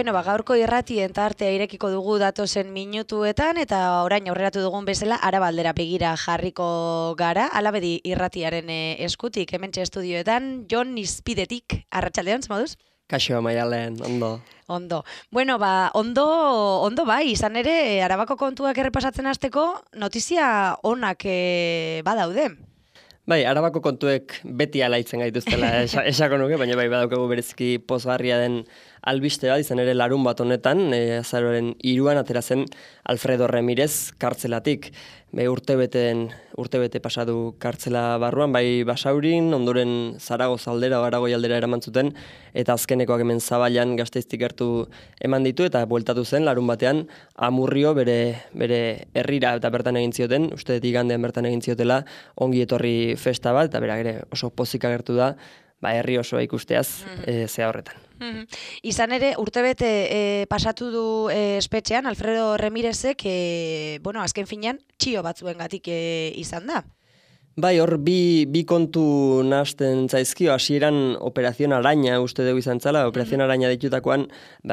Bueno, gaurko irratien tartea irekiko dugu datozen minutuetan, eta orain aurreratu dugun bezala Arabaldera begira jarriko gara, Alabedi irratiaren eskutik, hementxe estudioetan, Jon Izpidetik, arratsaldeon, zemoduz? Kaixo, Maialen, ondo. Ondo. Bueno, ondo bai, izan ere, Arabako kontuak errepasatzen hasteko notizia onak badaude. Bai, Arabako kontuek beti alaitzen gaituztela esako nuke, baina bai badaukagu bereziki pozgarria den albiste bat, izan ere larun bat honetan, azaroaren 3 atera zen Alfredo Remirez kartzelatik. Urtebete pasadu kartzela barruan, bai Basaurin, ondoren Zaragoza aldera, Aragoi aldera eraman zuten, eta azkenekoak hemen Zaballan Gasteiztik gertu eman ditu, eta bueltatu zen larun batean Amurrio bere herrira eta bertan egin zioten, uste dut igandean bertan egin ziotela, ongi etorri festa bat, eta berak ere oso pozik agertu da, herri osoa ikusteaz, zea horretan. Izan ere, urtebete pasatu du espetxean, Alfredo Remirezek, azken finean, txio batzuengatik izan da. Bai, hor bi kontu nahasten zaizkio, hasieran Operación Araña uste dugu izan zala, Operación Araña ditutakoan,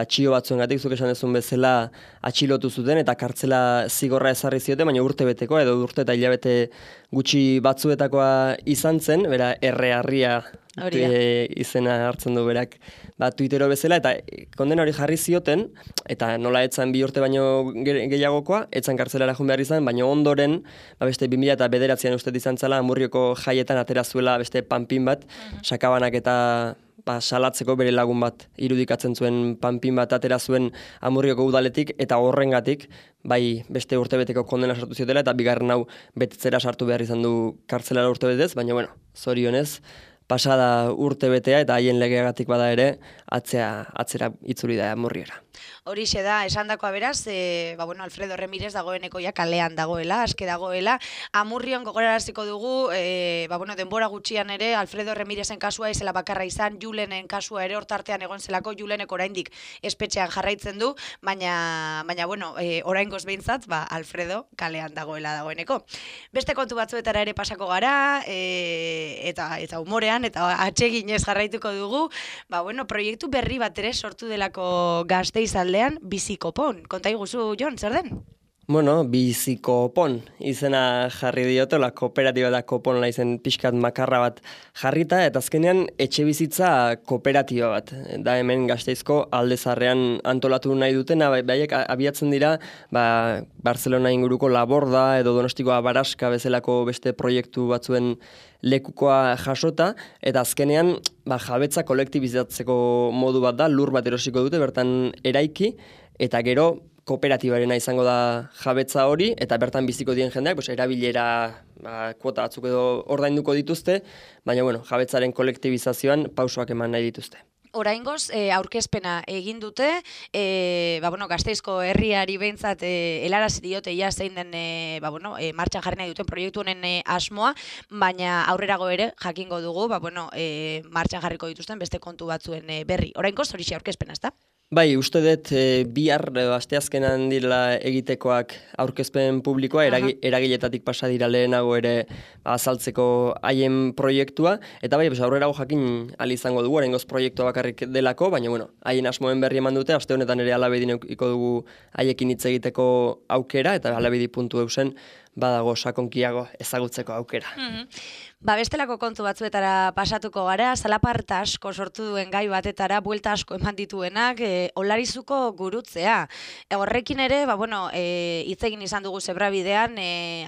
txio batzuengatik zuk esan dezun bezala atxilotu zuten eta kartzela zigorra ezarri zioten, baina urtebeteko edo urte eta hilabete gutxi batzuetakoa izan zen, bera errearria izena hartzen du berak Twittero bezala, eta kondena hori jarri zioten, eta nola etzan 2 urte baino gehiagokoa, etzan kartzelara joan behar izan, baina ondoren, beste 2009an uste izan zala, Amurrioko jaietan atera zuela beste panpin bat, sakabanak eta salatzeko bere lagun bat irudikatzen zuen panpin bat atera zuen Amurrioko udaletik, eta horrengatik, bai beste urtebeteko kondena sartu ziotela, eta bigarren hau betetzera sartu behar izan du kartzelara urtebetez, baina zorionez, pasada urtebetea eta haien legeagatik bada ere, atzera itzuli da Amurriera. Horixe da, esandakoa beraz, Alfredo Remirez dagoeneko ja kalean dagoela, aske dagoela. Amurrion gogoraraziko dugu, denbora gutxian ere, Alfredo Remirezen kasua izela bakarra izan, Julenen kasua ere hortartean egon zelako, Julenek oraindik espetxean jarraitzen du, baina oraingoz behintzat, Alfredo kalean dagoeneko. Beste kontu batzuetara ere pasako gara, eta humorean, eta atseginez jarraituko dugu, proiektu berri bat ere sortu delako Gasteiz aldean, Bizikopon. Konta iguzu, Jon, zer den? Bizikopon izena jarri diotola, kooperatiba da Kopon izen pixkat makarra bat jarrita, eta azkenean etxe bizitza kooperatiba bat. Da hemen Gasteizko Aldezarrean antolatu nahi dutena, baiek abiatzen dira, Barcelona inguruko Laborda edo Donostiko Abaraska bezalako beste proiektu batzuen lekukoa jasota, eta azkenean jabetza kolektibizatzeko modu bat da, lur bat erosiko dute, bertan eraiki, eta gero kooperatibarena izango da jabetza hori, eta bertan biziko dien jendeak, erabilera kuota batzuk edo ordainduko dituzte, baina jabetzaren kolektibizazioan pausoak eman nahi dituzte. Oraingoz, aurkezpena egin dute, Gasteizko herriari behintzat helarazi diote ja zein den martxan jarri nahi duten proiektu honen asmoa, baina aurrerago ere jakingo dugu, martxan jarriko dituzten beste kontu batzuen berri. Oraingoz, horixe aurkezpena, ezta? Bai, uste dut bihar asteazkenan direla egitekoak aurkezpen publikoa, eragiletatik pasa dira lehenago ere azaltzeko haien proiektua, eta aurrerago jakin ahal izango dugu, oraingoz proiektua bakarrik delako, baina haien asmoen berri eman dute, aste honetan ere Alabedin eukiko dugu haiekin hitz egiteko aukera, eta alabedi.eusen badago sakonkiago ezagutzeko aukera. Bestelako kontu batzuetara pasatuko gara, zalaparta asko sortu duen gai batetara, buelta asko eman dituenak, Olarizuko gurutzea. Horrekin ere, hitz egin izan dugu zebrabidean,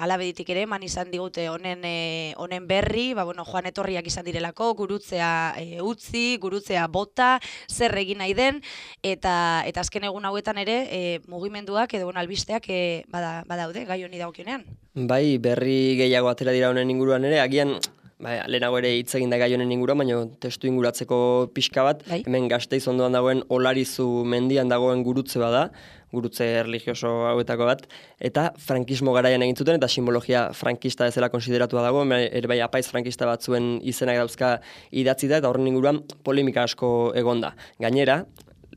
Alabeditik ere, eman izan digute honen berri, joan etorriak izan direlako, gurutzea utzi, gurutzea bota, zer egin nahi den, eta azken egun hauetan ere, mugimenduak edo albisteak badaude, gai honi dagokionean. Bai, berri gehiago atera dira honen inguruan ere, agian lehenago ere hitz egin da gai honen inguruan, baina testu inguratzeko pixka bat, hemen Gasteiz ondoan dagoen Olarizu mendian dagoen gurutze bada, gurutze erlijioso hauetako bat, eta frankismo garaian egin zuten, eta simbologia frankista bezala konsideratua dago, ere apaiz frankista batzuen izenak dauzka idatzi da, eta horren inguruan polemika asko egonda. Gainera,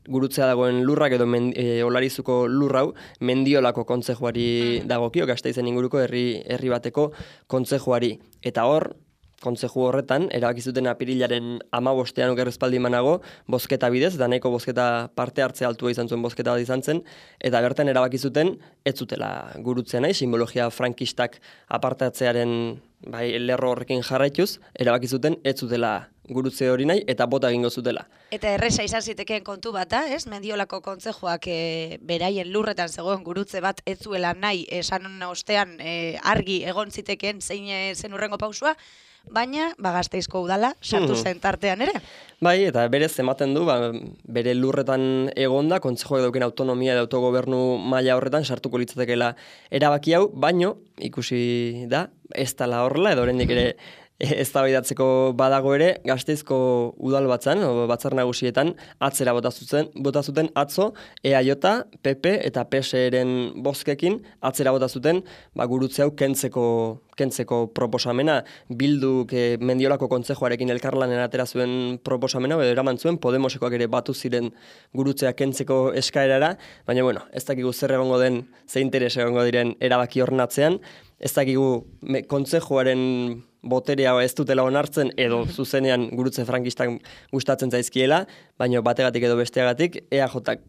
gurutzea dagoen lurrak edo Olarizuko lurrau Mendiolako kontzejuari dagokio, Gasteizen inguruko herri bateko kontzejuari. Eta hor, kontzeju horretan, erabaki zuten apirilaren 15ean okerrezpaldi manago, bozketa bidez, da nahiko bozketa parte hartze altua izan zuen bozketa bat izan zen, eta bertan erabaki zuten ez zutela gurutzea nahi, simbologia frankistak apartatzearen lerro horrekin jarraituz, erabaki zuten ez zutela gurutze hori nahi, eta bota egingo zutela. Eta erresa izan zitekeen kontu bat da, ez? Mendiolako kontzejoak beraien lurretan zegoen gurutze bat ez zuela nahi, esan ostean argi egon zitekeen zein zen urrengo pausua, baina Gasteizko udala sartu zen tartean ere. Bai, eta berez ematen du, bere lurretan egonda, kontzejoak dauken autonomia eta autogobernu maila horretan sartuko litzatekeela erabaki hau, baino ikusi da, ez dela horrela, edo oraindik ere eztabaidatzeko badago ere, Gasteizko udal batzar nagusietan atzera bota zuten atzo EAJ, PP eta PSeren bozkekin atzera bota zuten gurutze hau kentzeko proposamena. Bilduk Mendiolako kontzejoarekin elkarlanen atera zuen proposamena, edo eraman zuen Podemosekoak ere batu ziren gurutzea kentzeko eskaerara, baina ez dakigu zer egongo den, ze interes egongo diren erabaki horren atzean, ez dakigu kontzejoaren boterea ez dutela onartzen edo zuzenean gurutze frankistak gustatzen zaizkiela, baina bategatik edo besteagatik EAJak,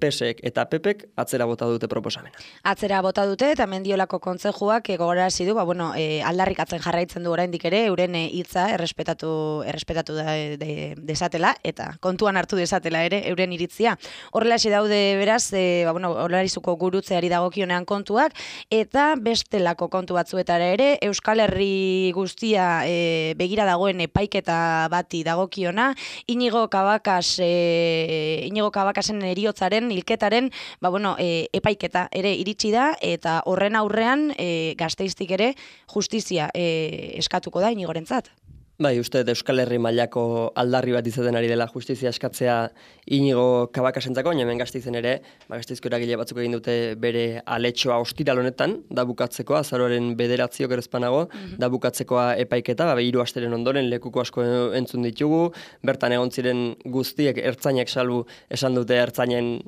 PSek eta PPek atzera bota dute proposamena. Atzera bota dute eta Mendiolako kontzejuak gogorarazi du, aldarrikatzen jarraitzen du oraindik ere euren hitza errespetatu desatela eta kontuan hartu desatela ere euren iritzia. Horrelaxe daude beraz, Olarizuko gurutzeari dagokionean kontuak eta bestelako kontu batzuetara ere Euskal Herri guztia begira dagoen epaiketa bati dagokiona, Iñigo Cabakasen heriotzaren, hilketaren, epaiketa ere iritsi da, eta horren aurrean Gasteiztik ere justizia eskatuko da Iñigorentzat. Bai, uste Euskal Herri mailako aldarri bat izaten ari dela justizia eskatzea Iñigo Cabakasentzako, baina hemen Gasteizen ere, Gasteizko eragile batzuk egin dute bere aletxoa ostiral honetan, da bukatzekoa, azaroaren 9 okerrezpanago, da bukatzekoa epaiketa, 3 asteren ondoren lekuko asko entzun ditugu, bertan egon ziren guztiek ertzainak salbu esan dute ertzainen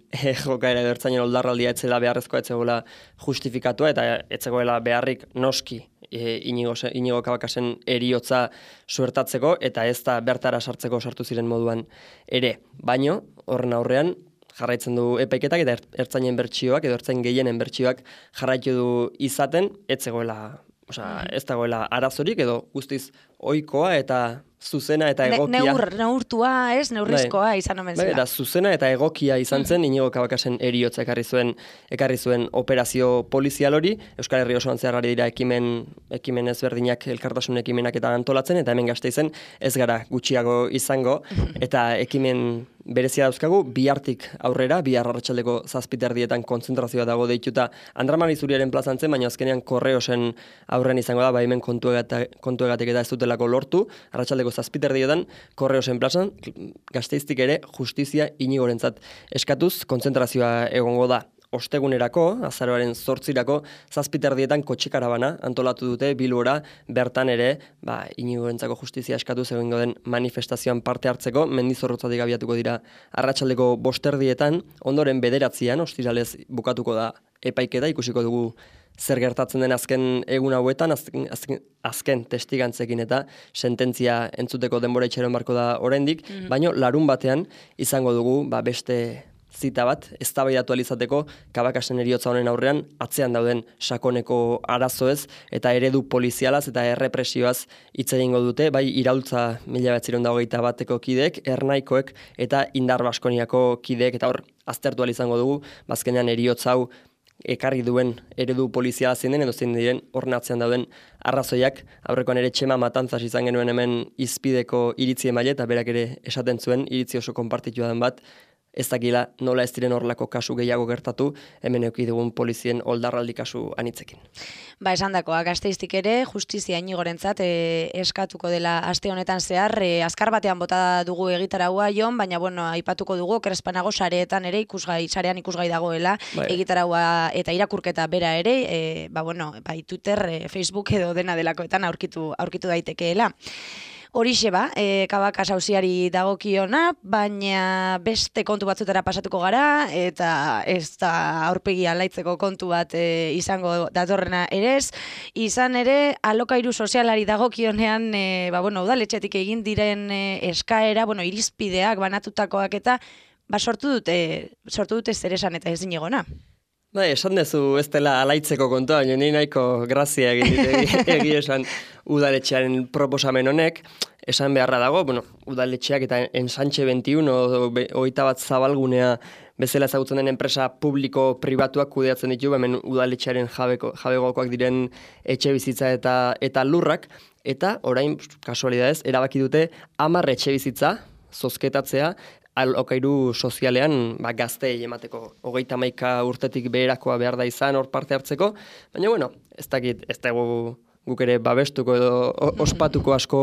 jokaera edo ertzainen oldarraldia etzela beharrezkoa etzegoela justifikatua, eta etzegoela beharrik noski Iñigo Cabakasen heriotza suertatzeko, eta ez da bertara sartu ziren moduan ere. Baino, horren aurrean, jarraitzen du epaiketak eta ertzainen bertsioak, edo ertzain gehienen bertsioak jarraitu du izaten, ez dagoela arazorik, edo guztiz ohikoa eta zuzena eta egokia. Neurtua, ez? Neurrizkoa izan omen zela. Eta zuzena eta egokia izan zen Iñigo Cabakasen heriotza ekarri zuen operazio polizial hori. Euskal Herri osoan zehar ari dira ekimen ezberdinak, elkartasun ekimenak eta antolatzen, eta hemen Gasteizen ez gara gutxiago izango, eta ekimen berezia dauzkagu, bihartik aurrera, bihar arratsaldeko 7:00 kontzentrazioa dago deituta Andramari Zuriaren plazan zen, baina azkenean Korreosen aurren izango da, hemen kontuegatik eta ez dutelako lortu, arratsaldeko 7:00 Korreosen plazan, Gasteiztik ere justizia Iñigorentzat eskatuz kontzentrazioa egongo da. Ostegunerako, azaroaren 8 7:00 kotxe-karabana antolatu dute Bilbora, bertan ere, Iñigorentzako justizia eskatuz egingo den manifestazioan parte hartzeko, Mendizorrotzatik abiatuko dira arratsaldeko 5:00, ondoren 9:00 ostiralez bukatuko da epaiketa, ikusiko dugu zer gertatzen den azken egun hauetan, azken testigantzekin eta sententzia entzuteko denbora itxaron barko da oraindik, baino larun batean izango dugu beste zita bat, eztabaidatu izateko Cabakasen heriotza honen aurrean atzean dauden sakoneko arazoez eta eredu polizialaz eta errepresioaz hitz egingo dute, bai Iraultza 1921 kideek, Ernaikoek eta Indar Baskoniako kideek, eta hor aztertu izango dugu, azkenean heriotza hau ekarri duen eredu poliziala zein den, edo zein diren horren atzean dauden arrazoiak. Aurrekoan ere Txema Matantzas izan genuen hemen izpideko iritzi emaile, eta berak ere esaten zuen iritzi oso konpartitua den bat, ez dakila nola ez diren horrelako kasu gehiago gertatu, hemen eduki dugun polizien oldarraldi kasu anitzekin. Esandakoa, Gasteiztik ere justizia Iñigorentzat eskatuko dela aste honetan zehar, azkar batean bota dugu egitaraua Jon, baina aipatuko dugu Okerrezpanago sareetan ere sarean ikusgai dagoela egitaraua eta irakurketa bera ere, Twitter, Facebook edo dena delakoetan aurkitu daitekeela. Horixe ba, Kabakas auziari dagokiona, baina beste kontu batzutara pasatuko gara, eta ez da aurpegi alaitzeko kontu bat izango datorrena ere ez. Izan ere, alokairu sozialari dagokionean, udaletxetik egin diren eskaera, irizpideak banatutakoak eta sortu dute zer esan eta ezin egona. Esan dezu ez dela alaitzeko kontua, baina ni nahiko grazia egin esan udaletxearen proposamen honek. Esan beharra dago, udaletxeak eta Ensanche 21 hogeita bat zabalgunea bezala ezagutzen den enpresa publiko-pribatuak kudeatzen ditu, hemen udaletxearen jabegokoak diren etxe bizitza eta lurrak, eta orain, kasualidadez, erabaki dute 10 etxe bizitza zozketatzea, alokairu sozialean gazteei emateko 31 urtetik beherakoa behar da izan hor parte hartzeko, baina ez dakit, ez dago guk ere babestuko edo ospatuko asko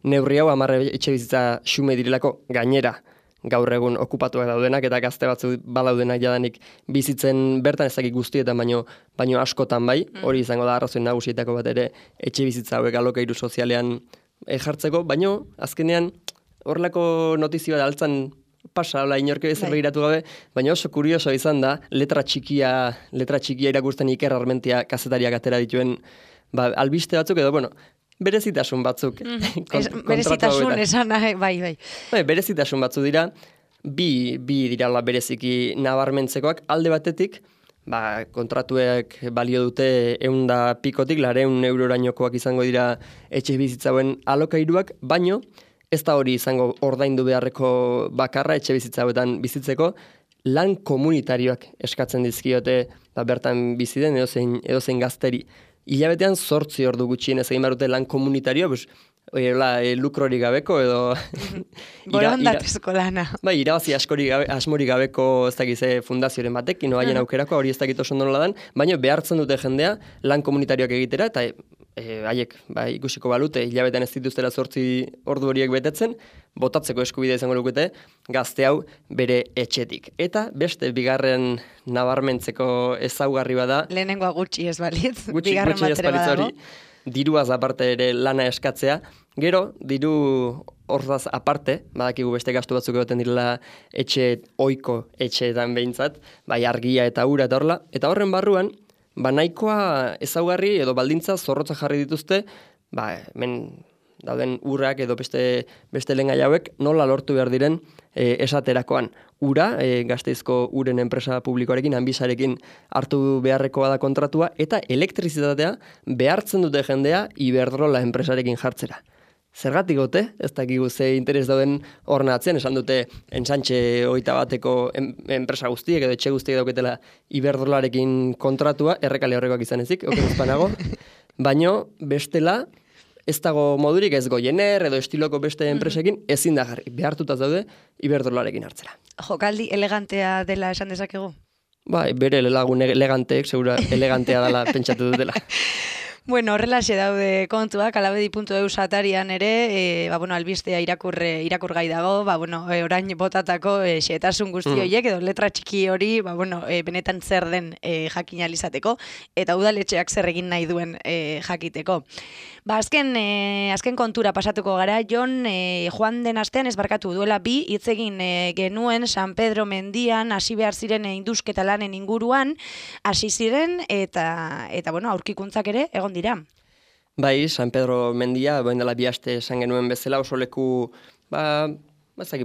neurri hau 10 etxe bizitza xume direlako gainera gaur egun okupatuak daudenak eta gazte batzu badaudenak jadanik bizitzen bertan ez dakit guztietan baino askotan bai, hori izango da arrazoi nagusietako bat ere etxe bizitza hauek alokairu sozialean jartzeko, baino azkenean horrelako notizio bat altzan pasa, inorke ezer begiratu gabe, baina oso kurioso izan da, letra txikia irakurtzen Iker Armentia kazetariak atera dituen albiste batzuk edo, berezitasun batzuk. Berezitasun esan, bai. Berezitasun batzuk dira, bi dirala bereziki nabarmentzekoak, alde batetik, kontratuek balio dute 100 pikotik, 200 eurorainokoak izango dira etxe bizitzauen alokairuak, baino, ez da hori izango ordaindu beharreko bakarra etxe bizitza hauetan bizitzeko, lan komunitarioak eskatzen dizkiote bertan biziden edozein gazteri. Hilabetean 8 ordu gutxienez egin behar dute lan komunitario, lukrori gabeko edo... Borondatezko lana. Irabazi asmori gabeko ez dakize fundazioaren batek, haien aukerako, hori ez dakit oso nola dan, baina behartzen dute jendea lan komunitarioak egitera, eta haiek ikusiko balute, hilabetean ez dituztera 8 ordu horiek betetzen, botatzeko eskubidea izango lukete, gazte hau bere etxetik. Eta beste bigarren nabarmentzeko ezaugarri bada... Lehenengoa gutxi ez balitz, bigarren bat ere badago. Diruaz aparte ere lana eskatzea, gero diru hortaz aparte, badakigu beste gastu batzuk egoten direla ohiko etxeetan behintzat, argia eta ura eta horla, eta horren barruan, nahikoa ezaugarri edo baldintza zorrotza jarri dituzte, hemen dauden urrak edo beste lehengai hauek nola lortu behar diren esaterakoan. Ura, Gasteizko uren enpresa publikoarekin, Anbisarekin hartu beharrekoa da kontratua, eta elektrizitatea behartzen dute jendea Iberdrola enpresarekin jartzera. Zergatik gote, ez dakigu ze interes dauden horren atzean, esan dute Ensanche 21eko enpresa guztiek edo etxe guztiek dauketela Iberdrolarekin kontratua, errekale horrekoak izan ezik, okerazpanago, baino bestela ez dago modurik ez Goiener edo estiloko beste enpresekin ezin da jarri, behartuta daude Iberdrolarekin hartzera. Jokaldi elegantea dela esan dezakegu? Bere lagun eleganteek, segura elegantea dela pentsatu dutela. Bueno, horrelaxe daude kontuak, alabedi.eus atarian ere, albistea irakur gai dago, orain botatako xehetasun guzti horiek, edo letra txiki hori, benetan zer den jakinalizateko, eta udaletxeak zer egin nahi duen jakiteko. Azken kontura pasatuko gara, Jon, joan den astean ezbarkatu duela 2 hitz egin genuen San Pedro mendian hasi behar ziren indusketa lanen inguruan, hasi ziren eta aurkikuntzak ere egon dira. San Pedro mendia, dela 2 aste esan genuen bezala, oso leku,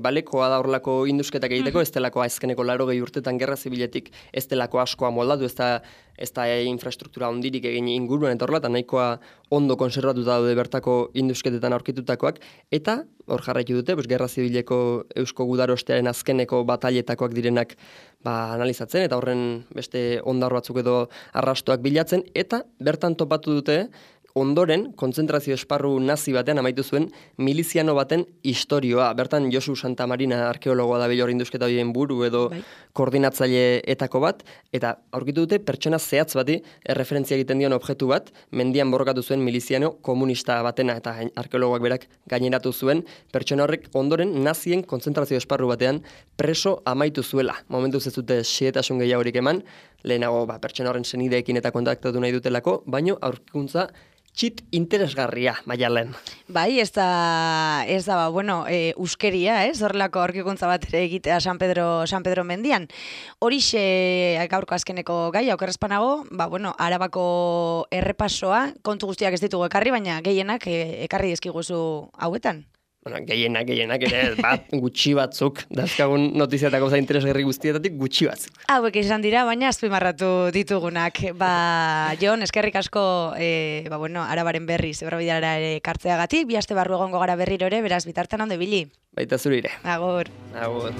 balekoa da horrelako indusketak egiteko, ez delako azkeneko 80 urtetan gerra zibiletik ez delako askoa moldatu, ez da infrastruktura ondirik egin inguruan eta horrela, eta nahikoa ondo konservatuta daude bertako indusketetan aurkitutakoak, eta hor jarraitu dute, gerra zibileko Eusko Gudarostearen azkeneko batailetakoak direnak analizatzen, eta horren beste ondar batzuk edo arrastoak bilatzen, eta bertan topatu dute, ondoren, kontzentrazio esparru nazi batean amaitu zuen miliziano baten istorioa. Bertan Josu Santamarina arkeologoa da hor indusketa horien buru edo koordinatzaile etako bat, eta aurkitu dute pertsona zehatz bati erreferentzia egiten dion objektu bat, mendian borrokatu zuen miliziano komunista batena, eta arkeologoak berak gaineratu zuen, pertsona horrek ondoren nazien kontzentrazio esparru batean preso amaitu zuela. Momentu ez dute xehetasun gehiagorik eman, lehenago pertsona horren senideekin eta kontaktatu nahi dutelako, baino aurkikuntza txit interesgarria, Maialen. Bai, ez da uskeria, horrelako aurkikuntza bat ere egitea San Pedro mendian. Horixe gaurko azkeneko gai, okerrezpanago, Arabako errepasoa, kontu guztiak ez ditugu ekarri, baina gehienak ekarri dizkiguzu hauetan. Gehienak ere, gutxi batzuk, dazkagun notiziatako za interesgarri guztietatik gutxi batzuk. Hauek izan dira, baina azpimarratu ditugunak. Jon, eskerrik asko, Arabaren berri, zebrabidara ere kartzeagatik, bi aste barru egongo gara berriro ere, beraz bitartan ondo ibili. Baita zurire. Agur. Agur.